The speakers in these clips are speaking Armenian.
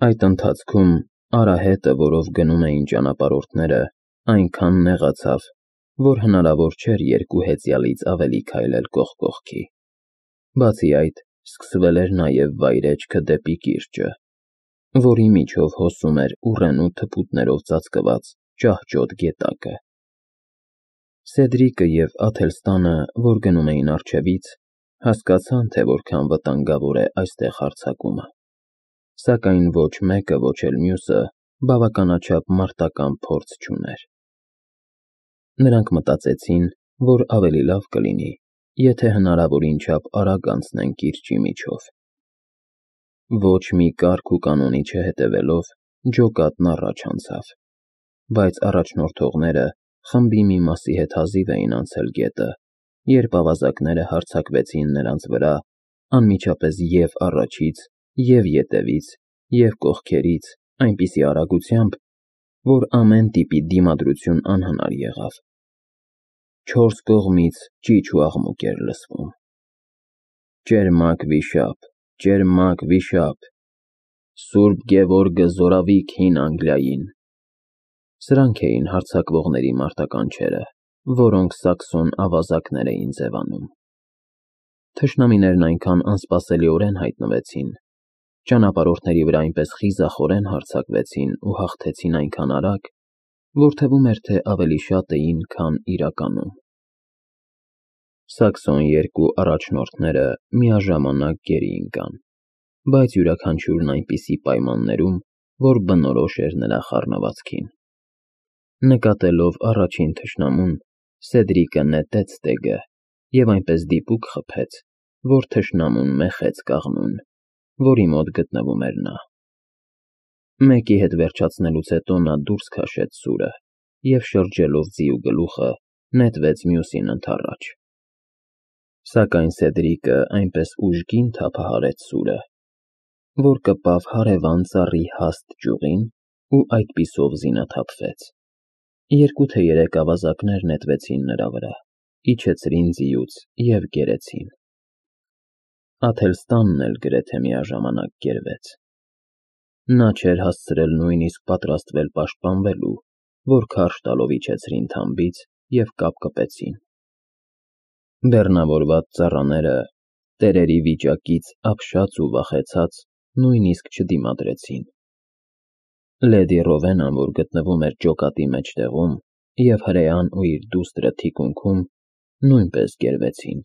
Այդ ընթացքում արահետը, որով գնում էին ճանապարհորդները, այնքան նեղացավ, որ հնարավոր չէր երկու հեծյալից ավելի քայլել կողք կողքի։ Բացի այդ, սկսվել էր նաև վայրէջքը դեպի կիրճը, որի միջով հոսում էր ուռենու թփուտներով ծածկված ճահճոտ գետակը։ Սեդրիկը և Աթելստանը, որ գնում էին առջևից, հասկացան, թե որքան վտանգավոր է այստեղ հարձակումը, սակայն ոչ մեկը, ոչ էլ մյուսը բավականաչափ մարտական փորձ չուներ։ Նրանք մտածեցին, որ ավելի լավ կլինի, եթե հնարավորին չափ արագ անցնեն կիրճի միջով։ Ոչ մի կարգ ու կանոնի չհետևելով, ջոկատն առաջ անցավ, բայց առաջնորդողները խմբի մի մասի հետ հազիվ էին անցել գետը, երբ ավազակները հարձակվեցին նրանց վրա անմիջապես և առաջից, և ետևից, և կողքերից այնպիսի արագությամբ, որ ամեն տիպի դիմադրություն անհնար եղավ։ Չորս կողմից ճիչ ու աղմուկ էր լսվում. «Ճերմակ վիշապ, ճերմակ վիշապ, Սուրբ Գևորգը զորավիք հին Անգլիային»։ Սրանք էին հարձակվողների մարտականչերը, որոնք սաքսոն ավազակներ էին ձևանում։ Թշնամիներն այնքան անսպասելիորեն հայտնվեցին, ճանապարհորդների վրա այնպես խիզախորեն հարձակվեցին ու հաղթեցին այնքան արագ, որ թվում էր, թե ավելի շատ էին, քան իրականում։ Սաքսոն երկու առաջնորդները միաժամանակ գերի ընկան, բայց յուրաքանչյուրն այնպիսի պայմաններում, որ բնորոշ էր նրա խառնվածքին։ Նկատելով առաջին թշնամուն, Սեդրիկը նետեց ստեգը և այնպես դիպուկ խփեց, որ թշնամուն մեխեց կաղնուն, որի մոտ գտնվում էր նա։ Մեկի հետ վերջացնելուց հետո նա դուրս քաշեց սուրը և շրջելով ձիու գլուխը, նետվեց մյուսին ընդառաջ։ Սակայն Սեդրիկը այնպես ուժգին թափահարեց սուրը, որ կպավ հարևան ծառի հաստ ճյուղին ու այդպիսով զինաթափվեց։ Երկու թե երեք ավազակներ նետվեցին նրա վրա, իջեցրին ձիուց և կերեցին։ Աթելստանն էլ գրեթե միաժամանակ կերվեց։ Նա չէր հասցրել նույնիսկ պատրաստվել պաշտպանվելու, որ քարշ տալով իջեցրին թամբից և կապկպեցին։ Բեռնավորված ծառաները, տերերի վիճակից ապշած ու վախեցած, նույնիսկ չդիմադրեցին։ Լեդի Ռովենան, որ գտնվում էր ջոկատի մեջտեղում, և հրեան ու իր դուստրը թիկունքում, նույնպես կերվեցին։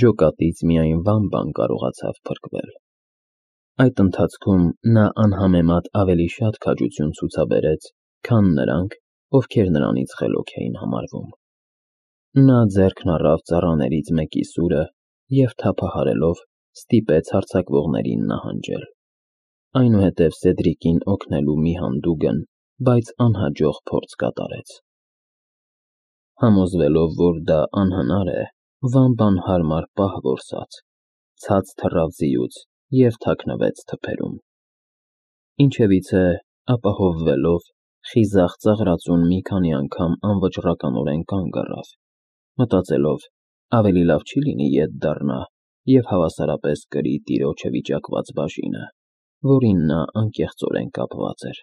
Ջոկատից միայն Վամբան կարողացավ փրկվել։ Այդ ընթացքում նա անհամեմատ ավելի շատ քաջություն ցուցաբերեց, քան նրանք, ովքեր նրանից խելոք էին համարվում։ Նա ձեռքն առավ ծառաներից մեկի սուրը և թափահարելով ստիպեց հարձակվողներին նահանջել։ Այնուհետև Սեդրիկին օգնելու մի հանդուգն, բայց անհաջող փորձ կատարեց։ Համոզվելով, որ դա անհնար է, Վամբան հարմար պահ որսաց, ցած թռավ ձիուց և թաքնվեց թփերում։ Ինչևիցե, ապահովվելով, խիզախ ծաղրածուն մի քանի անգամ անվճռականորեն կանգ առավ, մտածելով, ավելի լավ չի լինի ետ դառնա և հավասարապես կրի տիրոջը վիճակված բաժինը, որին նա անկեղծորեն կապված էր։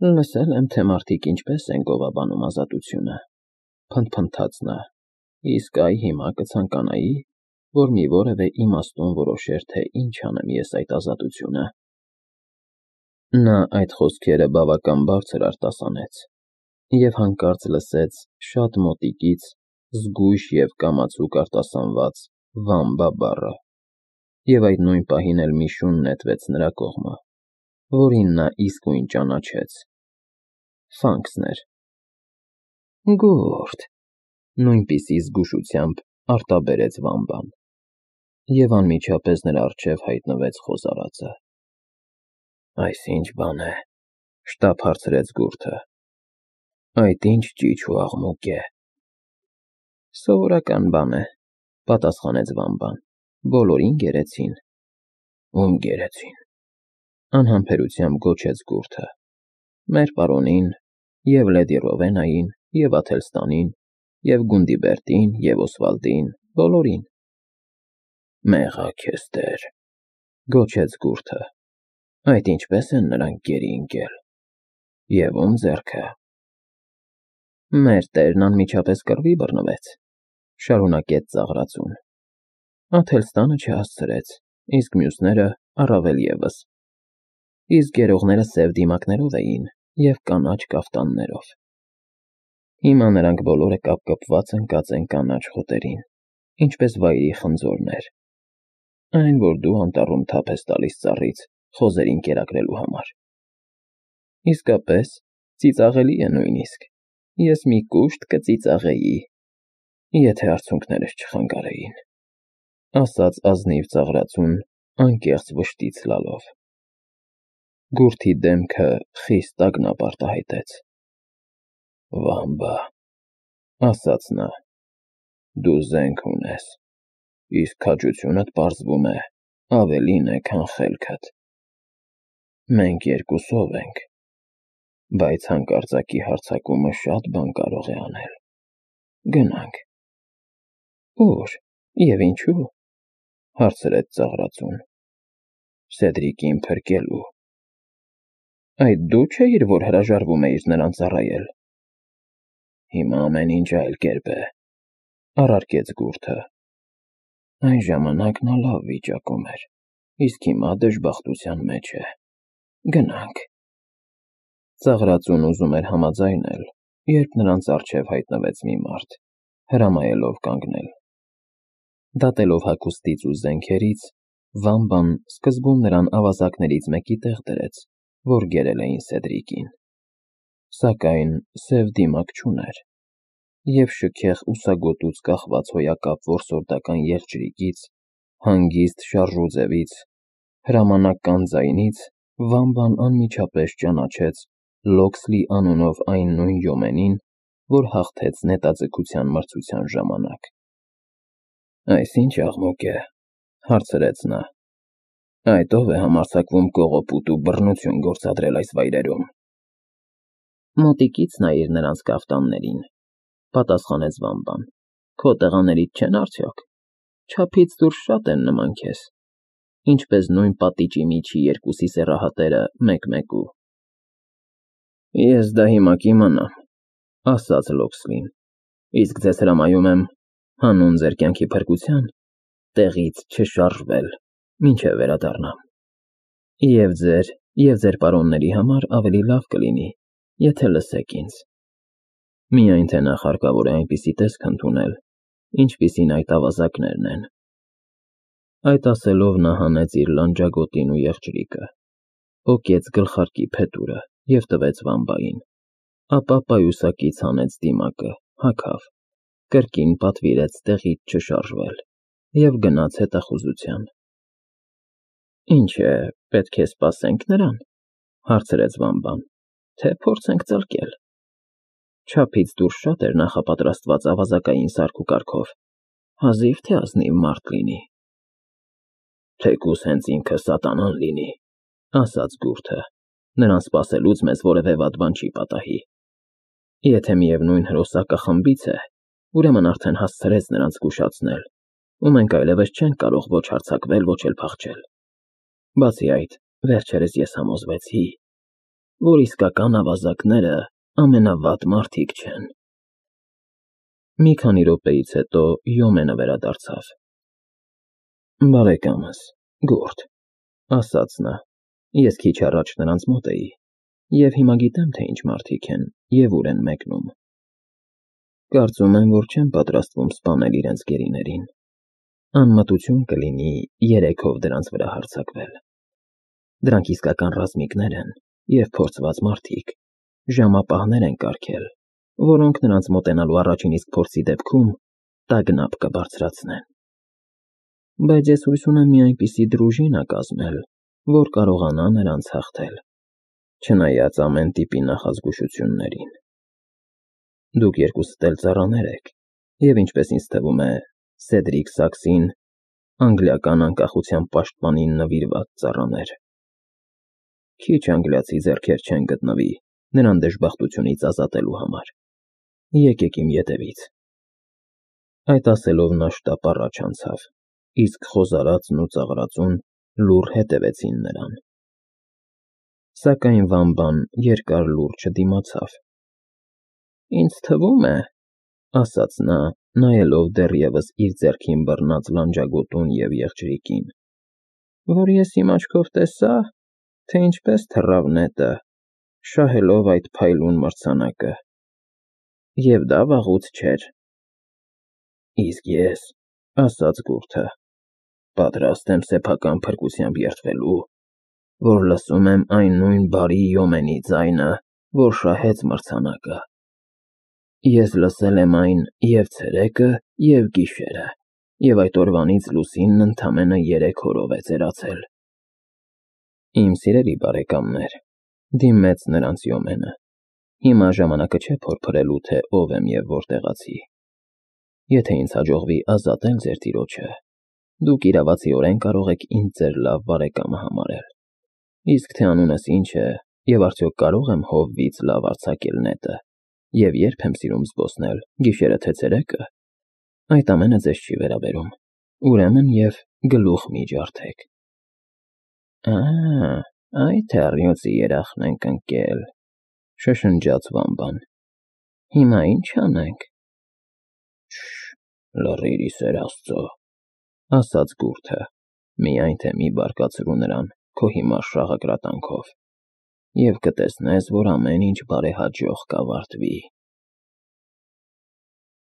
«Լսել եմ, թե մարդիկ ինչպես են գովաբանում ազատությունը», փնթփնթաց նա, «իսկ այ հիմա կցանկանայի, որ մի որևէ իմաստուն որոշեր, թե ինչ անեմ ես այդ ազատությունը»։ Նա այդ խոսքերը բավական բարձր արտասանեց և հանկարծ լսեց շատ մոտիկից զգույշ և կամացուկ արտասանված «Վամբա» բառը, և այդ նույն պահին էլ մի շուն նետվեց նրա կողմը, որին նա իսկույն ճանաչեց։ Ֆանքսն էր։ «Գուրդ», նույնպիսի զգուշությամբ արտաբերեց Վամբան, և անմիջապես նրա առջև հայտնվեց խոզարածը։ «Այս ի՞նչ բան է», շտապ հարցրեց գուրդը։ «Այդ ի՞նչ ճիչ ու աղմուկ է»։ «Սովորական բան է», պատասխանեց Վամբան, «բոլորին գերեցին»։ «Ում գերեցին»։ Անհամբերությամբ գոչեց գուրդը։ «Մեր պարոնին, և լեդի Ռովենային, և Աթելստանին, և Գունդիբերտին, և Օսվալդին, բոլորին»։ «Մեղա քեզ Տեր», Գոչեց գուրթը։ Այդ ինչպես են նրանք գերի ընկել։ Եվ ում ձեռքը։ Մեր տերն անմիջապես կռվի բռնվեց, շարունակեց ծաղրածուն։ Աթելստանը չհասցրեց, իսկ մյուսները առավել ևս։ Իսկ գերողները սև դիմակներով էին և կանաչ կաֆտաններով։ Հիմա նրանք բոլորը կապկպված ընկած են կանաչ խոտերին, ինչպես վայրի խնձորներ, այն, որ դու անտառում թափ ես տալիս ծառից խոզերին կերակրելու համար։ Իսկապես, ծիծաղելի է նույնիսկ, ես մի կուշտ կծիծաղեի, եթե արցունքներս չխանգարեին, ասաց ազնիվ ծաղրածուն անկեղծ վշտից լալով։ Գուրթի դեմքը խիստ տագնապ արտահայտեց։ Վամբա, ասաց նա, դու զենք ունես, իսկ քաջությունդ պարզվում է ավելին է, քան խելքդ։ Մենք երկուսով ենք, բայց հանկարծակի հարձակումը շատ բան կարող է անել։ Գնանք։ Ո՞ւր և ինչու՞, հարցրեց ծաղրածուն։ Սեդրիկին փրկելու։ Այդ դու չէիր, որ հրաժարվում էիր նրան ծառայել։ Հիմա ամեն ինչ այլ կերպ է, առարկեց գուրթը։ Այն ժամանակ նա լավ վիճակում էր, իսկ հիմա դժբախտության մեջ է։ Գնանք։ Ծաղրածուն ուզում էր համաձայնել, երբ նրանց առջև հայտնվեց մի մարդ, հրամայելով կանգնել։ Դատելով հագուստից ու զենքերից, Վամբան սկզբում նրան ավազակներից մեկի տեղ դրեց, որ գերել էին Սեդրիկին։ Սակայն սև դիմակ չուներ, և շքեղ ուսագոտուց կախված հոյակապ որսորդական եղջյուրիկից, հանգիստ շարժուձևից, հրամանական ձայնից Վամբան անմիջապես ճանաչեց Լոքսլի անունով այն նույն յոմենին, որ հաղթեց նետաձգության մրցության ժամանակ։ Այս ինչ աղմուկ է, հարցրեց նա։ Այդ ով է համարձակվում կողոպուտ ու բռնություն գործադրել այս վայրերում։ Մոտիկից նայիր նրանց կաֆտաններին, պատասխանեց Վամբան։ Քո տղաներից չեն արդյոք։ Չափից դուրս շատ են նման քեզ, ինչպես նույն պատիճի միջի երկուսի սեռահատերը մեկ-մեկու։ Ես դա հիմա կիմանամ, ասաց Լոքսլին, իսկ ձեզ հրամայում եմ, հանուն ձեր կյանքի փրկության, տեղից չշարժվել, մինչև վերադառնամ։ Եվ ձեր պարոնների համար ավելի լավ կլինի, եթե լսեք ինձ։ Միայն թե նախ հարկավոր է այնպիսի տեսք ընդունել, ինչպիսին այդ ավազակներն են։ Այդ ասելով նա հանեց իր լանջագոտին ու եղջյուրիկը, պոկեց գլխարկի փետուրը և տվեց Վամբային, ապա պայուսակից հանեց դիմակը, հագավ, կրկին պատվիրեց տեղից չշարժվել և գնաց հետախուզության։ Ինչ է, պետք է սպասե՞նք նրան, հարցրեց Վամբան, թե փորձենք ծլկել։ Չափից դուրս շատ էր նախապատրաստված ավազակային սարք ու կարգով, հազիվ թե ազնիվ մարդ լինի։ Թեկուզ հենց ինքը սատանան լինի, ասաց գուրթը, նրան սպասելուց մեզ որևէ վատ բան չի պատահի։ Եթե միևնույն հրոսակը խմբից է, ուրեմն արդեն հասցրեց նրանց զգուշացնել, ու մենք այլևս չենք կարող ոչ հարձակվել, ոչ էլ փախչել։ Բացի այդ, վերջերս ես համոզվեցի, որ իսկական ավազակները ամենավատ մարդիկ չեն։ Մի քանի րոպեից հետո Յոմենը վերադարձավ։ Բարեկամս, գուրթ, ասաց նա, ես քիչ առաջ նրանց մոտ էի, և հիմա գիտեմ, թե ինչ մարդիկ են և ուր են մեկնում։ Կարծում եմ, որ չեն պատրաստվում սպանել իրենց գերիներին։ Անմտություն կլինի երեքով դրանց վրա հարձակվել։ Դրանք իսկական ռազմիկներ են և փորձված մարդիկ, ժամապահներ են կարգել, որոնք նրանց մոտենալու առաջին իսկ փորձի դեպքում տագնապ կբարձրացնեն։ Բայց ես հույս ունեմ մի այնպիսի դրուժինա կազմել, որ կարողանա նրանց հաղթել, չնայած ամեն տիպի նախազգուշություններին։ Դուք երկուսդ էլ ծառաներ եք, և ինչպես ինձ թվում է, Սեդրիկ Սաքսին անգլիական անկախության պաշտպանին նվիրված ծառաներ։ Քիչ անգլիացի ձեռքեր չեն գտնվի նրան դժբախտությունից ազատելու համար։ Եկեք իմ ետևից։ Այդ ասելով նա շտապ առաջ անցավ, իսկ խոզարածն ու ծաղրածուն լուռ հետևեցին նրան։ Սակայն Վամբան երկար լուռ չդիմացավ։ «Ինձ թվում է,֊ ասաց նա, նայելով դեռևս իր ձեռքին բռնած լանջագոտուն և եղջերուկին,֊ որ ես իմ աչքով տեսա, թե ինչպես թռավ նետը, շահելով այդ փայլուն մրցանակը, և դա վաղուց չէր»։ «Իսկ ես,֊ ասաց գուրդը,֊ պատրաստ եմ սեփական փրկությամբ երդվելու, որ լսում եմ այն նույն բարի Յոմենի ձայնը, որ շահեց մրցանակը։ Ես լսել եմ այն և՛ ցերեկը, և՛ գիշերը, և այդ օրվանից լուսինն ընդամենը 3 օրով է ծերացել»։ «Իմ սիրելի բարեկամներ,֊ դիմեց նրանց Յոմենը,֊ հիմա ժամանակը չէ փորփրելու, թե ով եմ և որտեղացի։ Եթե ինձ հաջողվի ազատել ձեր տիրոջը, դուք իրավացիորեն կարող եք ինձ ձեր լավ բարեկամը համարել, իսկ թե անունս ինչ է, և արդյոք կարո՞ղ եմ հովվից լավ արձակել նետը, և երբ եմ սիրում զբոսնել, գիշերը թե ցերեկը, այդ ամենը ձեզ չի վերաբերում, ուրեմն և գլուխ մի ջարդեք»։ «Ա՜, այդ է առյուծի երախն ենք ընկել,֊ շշնջաց Վամբան,֊ հիմա ի՞նչ անենք»։ «Շշ, լռիր, ի սեր Աստծո,֊ ասաց գուրդը,֊ միայն թե մի բարկացրու նրան քո հիմար շաղակրատանքով, և կտեսնես, որ ամեն ինչ բարեհաջող կավարտվի»։